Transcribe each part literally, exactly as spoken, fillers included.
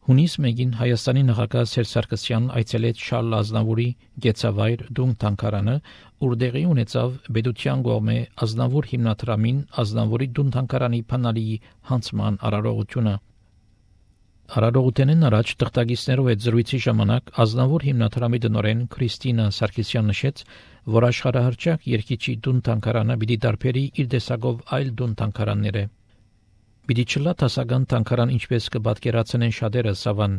Հունիս մեկին Հայաստանի նախագահ Սերժ Սարգսյանն այցելեց Շարլ Ազնավուրի գեցավայր Դուն թանգարանը, ուր տեղի ունեցավ Պետության կողմէ Ազնավուր հիմնադրամին Ազնավուրի Դուն թանգարանի փանալի հանձնման արարողությունը։ Արարողութենեն առաջ տղտագիսներով այդ զրույցի ժամանակ Ազնավուր հիմնադրամի տնօրեն Քրիստինա Սարգսյան նշեց, որ աշխարհահռչակ երգիչի Դուն թանգարանը պիտի դարբերի իր տեսակով այլ Դուն թանգարաններ է։ Պիտի չլա դասական թանգարան, ինչպես կպատկերացնեն շատերը սավան։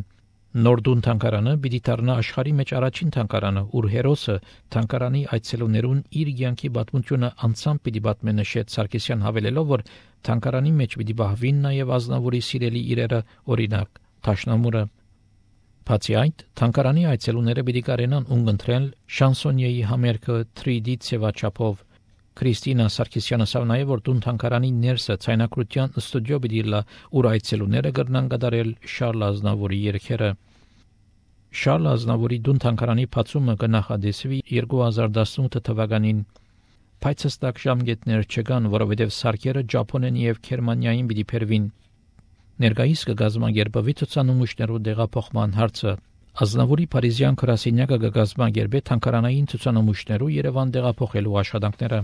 Նոր Դուն թանգարանը պիտի դառնա աշխարհի մեջ առաջին թանգարանը, ուր հերոսը թանգարանի այցելուներուն իր կյանքի պատմությունը անցամբ պիտի պատմի, նշեց Սարգսյան, հավելելով, որ թանգարանի մեջ պիտի բահվին նաև Ազնավուրի սիրելի իրերը, օրինակ Թաշնամուրը։ Բացի այդ, թանգարանի այցելուները պիտի կարենան ունգընտրել շանսոնիեի համերգը թրի դի ցևաչափով։ Քրիստինա Սարգսյանը ասավ նաև, որ Դուն թանգարանի ներսը ցայնակրության ստուդիո պիտի լա, ուր այցելուները կրնան կատարել Շարլ Ազնավուրի երգերը։ Շարլ Ազնավուրի Դուն թանգարանի բացումը կնախադեсվի երկու հազար տասնութ թվականին, բայց հստակ ժամկետներ չկան, որովհետև սարքերը Ճապոնեն եւ Գերմանիային պիտի փերվին։ Ներկայիս կգազմագերբվի ցուցանմուշներու դեղափոխման հարցը։ Ազնավուրի Փարիզյան գրասենյակը կգազմագերբի թանգարանային ցուցանմուշներու Երևան դեղափոխելու աշխատանքները։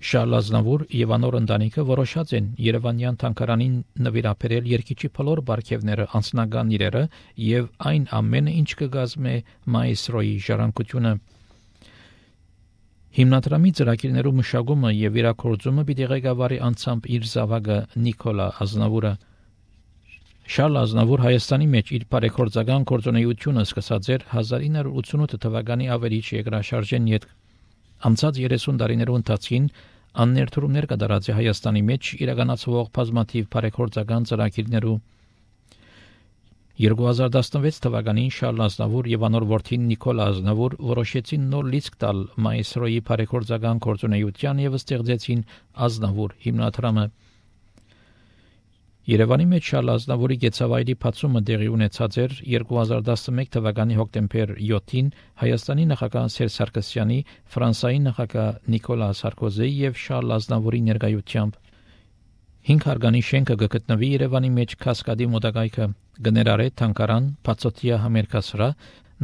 Շարլ Ազնավուր եւ անոր ընտանիքը որոշած են Երևանյան թանգարանին նվիրաբերել երգիչի բոլոր բարգեւները, անձնական իրերը եւ այն ամենը, ինչ կգազմե մայստրոյի ժառանգությունը։ Հիմնադրամի ծրագիրներու մշակումը եւ իրագործումը պիտի ղեկավարի անցամբ իր զավակը Նիկոլա Ազնավուրը։ Շարլ Ազնավուր Հայաստանի մեջ իր բարեգործական գործունեությունը սկսած էր հազար ինը հարյուր ութսունութ թվականի ավերիչ երկրաշարժեն յետ անցած երեսուն տարիներու ընթացքին աններդրումներ կատարած է Հայաստանի մեջ իրականացվող բազմաթիվ բարեգործական ծրագիրներու։ երկու հազար տասնվեց թվականին Շարլ Ազնավուր եւ անոր որդին Նիկոլա Ազնավուր որոշեցին նոր լիցք տալ մայստրոյի բարեգործական գործունեության եւ ստեղծեցին Ազնավուր հիմնադրամը։ Երևանի մեջ Շարլ Ազնավուրի գեցավայրի բացումը տեղի ունեցած էր երկու հազար տասնմեկ թվականի հոկտեմբեր յոթին Հայաստանի նախագահ Սերժ Սարգսյանի, Ֆրանսիայի նախագահ Նիկոլա Սարկոզիի եւ Շարլ Ազնավուրի ներկայությամբ։ Հինգ հարգանի շենքը կգտնվի Երևանի մեջ Կասկադի մոտակայքը, կներառե թանգարան, բացօթյա համերգասրահ,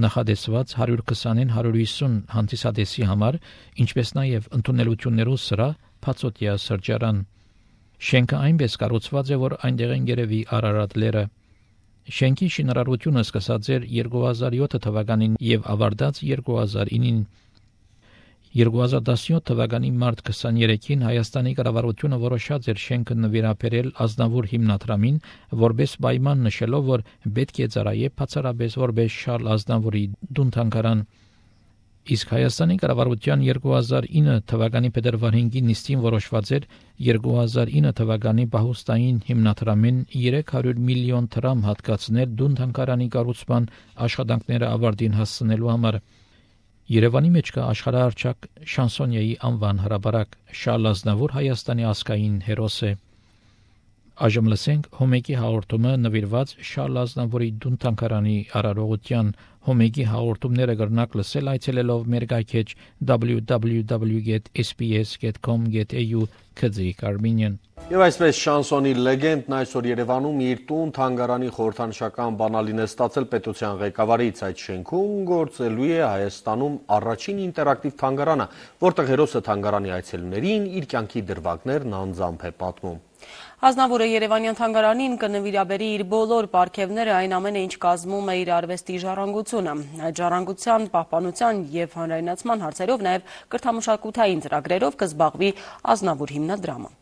նախադեсված հարյուր քսանին հարյուր հիսուն հանդիսադեսի համար, ինչպես նաև ընդունելություններու սրահ, բացօթյա սրճարան։ Շենքը այնպես կառուցված է, որ այնտեղ են գերեվի Արարատ լերը։ Շենքի շինարարությունը սկսած էր երկու հազար յոթ թվականին եւ ավարտած երկու հազար ինին։ երկու հազար տասնյոթ թվականի մարտ քսաներեքին Հայաստանի կառավարությունը որոշած էր շենքը նվիրաբերել Ազնավուր հիմնադրամին, որպես պայման նշելով, որ պետք է ծառայե բացառապես որպես Շարլ Ազնավուրի Դուն թանգարան։ Իսկ Հայաստանի կառավարության երկու հազար ինը թվականի փետրվար հինգին նիստին որոշված էր երկու հազար ինը թվականի պահուստային հիմնադրամին երեք հարյուր միլիոն դրամ հատկացնել Դուն թանգարանի կառուցման աշխատանքները ավարտին հասցնելու համար։ Երևանի մեջ կա աշխարհահռչակ շանսոնիեի անվան հրապարակ։ Շարլ Ազնավուր Հայաստանի ազգային հերոս է։ Այժմ լսենք Հոմեկի հաղորդումը նվիրված Շարլ Ազնավուրի Դուն թանգարանի արարողության։ Հոմեկի հաղորդումները կրնակ լսել այցելելով մեր գայքեջ w w w dot s b s dot com dot a u քզիկ Armenian։ Եվ այսպես շանսոնի լեգենդն այսօր Երևանում իր տուն թանգարանի խորհրդանշական բանալին է ստացել պետության ղեկավարից։ Այդ շենքում գործելու է Հայաստանում առաջին ինտերակտիվ թանգարանը, որտեղ հերոսը թանգարանի այցելուներին իր կյանքի դրվագներն անձամբ է պատմում։ Ազնավուրը Երևանյան թանգարանին կնվիրաբերի իր բոլոր պարգևները, այն ամենը, ինչ կազմում է իր արվեստի ժառանգությունը։ Այդ ժառանգության, պահպանության եւ հանրայնացման հարցերով նաեւ կրթամշակութային ծրագրերով կզբաղվի Ազնավուր հիմնադրամը։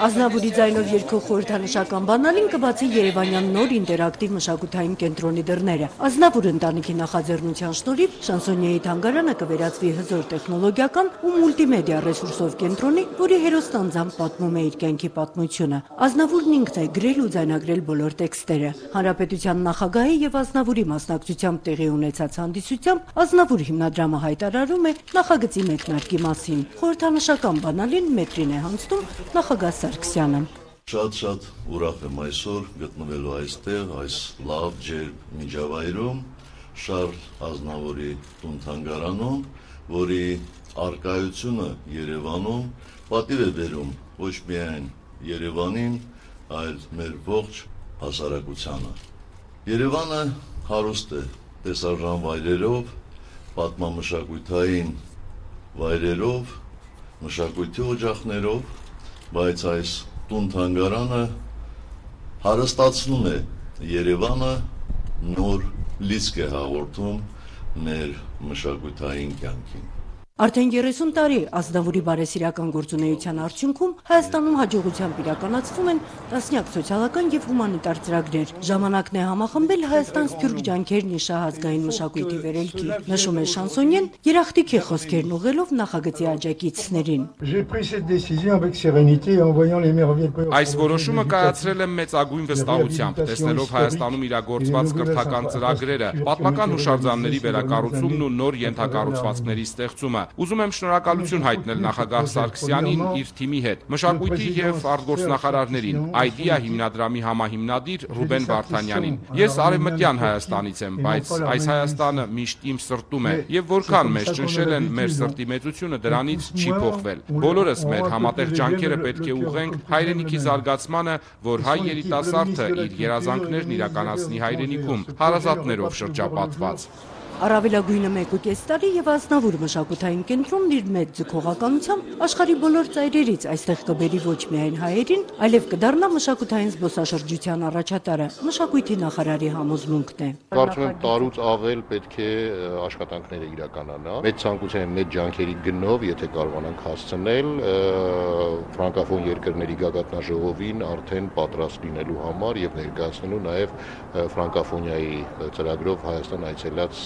Ազնավուրի ձայնով երգող խորհրդանշական բանալին կբացի Երևանյան նոր ինտերակտիվ մշակութային կենտրոնի դռները։ Ազնավուր ընտանիքի նախաձեռնության շնորհիվ շանսոնիեի թանգարանը կվերածվի հզոր տեխնոլոգիական ու մուլտիմեդիա ռեսուրսով կենտրոնի, որի հերոսն անձամբ պատմում է իր կյանքի պատմությունը։ Ազնավուրն ինքն է գրել ու ձայնագրել բոլոր տեքստերը։ Հանրապետության նախագահի եւ Ազնավուրի մասնակցությամբ տեղի ունեցած հանդիսությամբ Ազնավուր հիմնադրամը հայտարարում է նախագծի մեկնարկի մասին։ Խորհրդանշական բանալին մետրին է հանձնում նախագահ Սարգսյանը։ Շատ-շատ ուրախ եմ այսօր գտնվելու այստեղ, այս լավ ջերմ միջավայրում, Շարլ Ազնավուրի տուն թանգարանում, որի արկայությունը Երևանում պատիվ է բերում ոչ միայն Երևանին, այլ մեր ողջ հասարակությանը։ Երևանը հարուստ է տեսարժան վայրերով, պատմամշակութային վայրերով, մշակույթի օջախներով, բայց այս տուն-թանգարանը հարստացնում է Երևանը, նոր լիցք է հաղորդում մեր մշակութային կյանքին։ Արդեն երեսուն տարի Ազնավուրի բարեսիրական գործունեության արդյունքում Հայաստանում հաջողությամբ իրականացվում են տասնյակ սոցիալական եւ հումանիտար ծրագրեր։ Ժամանակն է համախմբել Հայաստան սփյուռք ջանքերն իր շահազգային մշակույթի վերելքի, նշում է շանսոնյեն, երախտիքի խոսքերն ուղղելով նախագծի աջակիցներին։ Այս որոշումը կայացրել եմ մեծագույն վստահությամբ, տեսնելով Հայաստանում իրագործված կրթական ծրագրերը, պատմական հուշարձանների վերակառուցումն ու նոր ենթակառուցվածքների ստեղծումը։ Ուզում եմ շնորհակալություն հայտնել նախագահ Սարգսյանին իր թիմի հետ, մշակույթի եւ արտգործնախարարներին, Idea հիմնադրամի համահիմնադիր Ռուբեն Վարդանյանին։ Ես արևմտյան Հայաստանից եմ, բայց այս Հայաստանը միշտ իմ սրտում է եւ որքան մեզ ճնշել են մեր սրտի մեծությունը, դրանից չի փոխվել։ Բոլորս մեր համատեղ ջանքերը պետք է ուղղենք հայրենիքի զարգացմանը, որ հայ երիտասարդը իր երազանքներն իրականացնի հայրենիքում, հարազատներով շրջապատված։ Առավելագույնը մեկ ու կես տարի եւ Ազնավուր մշակութային կենտրոնն իր մեծ ձգողականությամբ աշխարհի բոլոր ծայրերից այստեղ կբերի ոչ միայն հայերին, այլև կդառնա մշակութային զբոսաշրջության առաջատարը, մշակույթի նախարարի համոզմունքն է։ Կարծում եմ տարուց ավել պետք է աշխատանքները իրականանա։ Մեծ ցանկության մեծ ջանքերի գնով, եթե կարողանանք հասցնել, ֆրանկոֆոն երկրների գագաթնաժողովին արդեն պատրաստ լինելու համար եւ ներկայացնելու նաեւ ֆրանկոֆոնիայի ծրագրով Հայաստան այցելած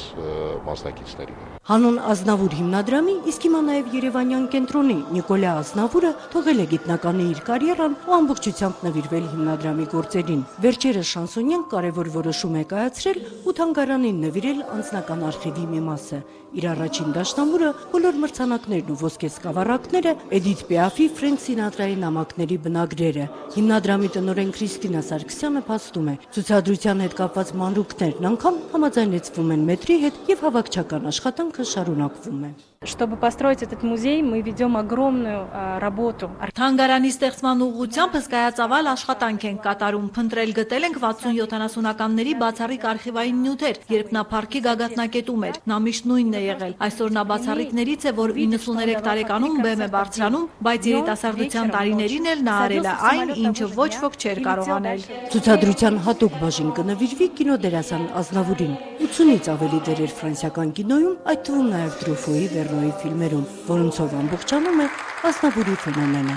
մասնակիցների։ Հանուն Ազնավուր հիմնադրամի, իսկ հիմա նաև Երևանյան կենտրոնի Նիկոլա Ազնավուրը թողել է գիտնականի իր կարիերան ու ամբողջությամբ նվիրվել հիմնադրամի գործերին։ Վերջերս շանսոնյան կարևոր որոշում է կայացրել ու թանգարանին նվիրել անձնական արխիվի մի մասը։ Իր առաջին դաշնամուրը, բոլոր մրցանակներն ու ոսկե սկավառակները, Էդիթ Պիաֆի, Ֆրենք Սինատրայի նամակների բնագրերը։ Հիմնադրամի տնօրեն Քրիստինա Սարգսյանը փաստում է, ցուցադրության հետ կապված մանրուքներն անգամ համաձայնեցվում են մետրի հետ եւ հավաքչական աշխատանքը շարունակվում է։ Чтобы построить этот музей, мы ведем огромную а, работу. Թանգարանի ստեղծման ուղղությամբ հսկայածավալ աշխատանք ենք կատարում, փնտրել գտել ենք վաթսուն-յոթանասունականների բացառիկ արխիվային նյութեր, երբ նա փառքի գագաթնակետում էր, նա միշտ նույնն է եղել։ Այսօր նա բացառիկներից է, որ իննսուներեք տարեկանում բեմ է բարձրանում, բայց երիտասարդության տարիներին էլ նա արել է այն, ինչը ոչ ոք չէր կարող անել։ Ցուցադրության հատուկ բաժին կնվիրվի կինոդերասան Ազնավուրին։ ութունից ավելի դերեր ֆրանսիական կինոյում, այդ թվում նաև Տրուֆոյի Վերնոյի ֆիլմերում, որոնցով ամբողջանում է Ազնավուրի ֆենոմենը։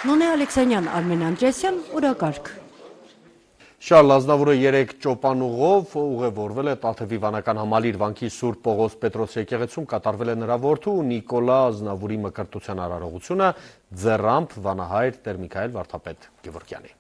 Նոնե Ալեքսանյան, Արմեն Անդրեասյան, օրակարգ։ Շարլ Ազնավուրը երեք ճոպանուղով ուղևորվել է Տաթևի վանական համալիր վանքի Սուրբ Պողոս Պետրոս եկեղեցում կատարվել է նրա որդու Նիկոլա Ազնավուրի մկրտության արարողությունը ձեռամբ վանահայր Տեր Միքայել Վարդապետ Գևորգյանի։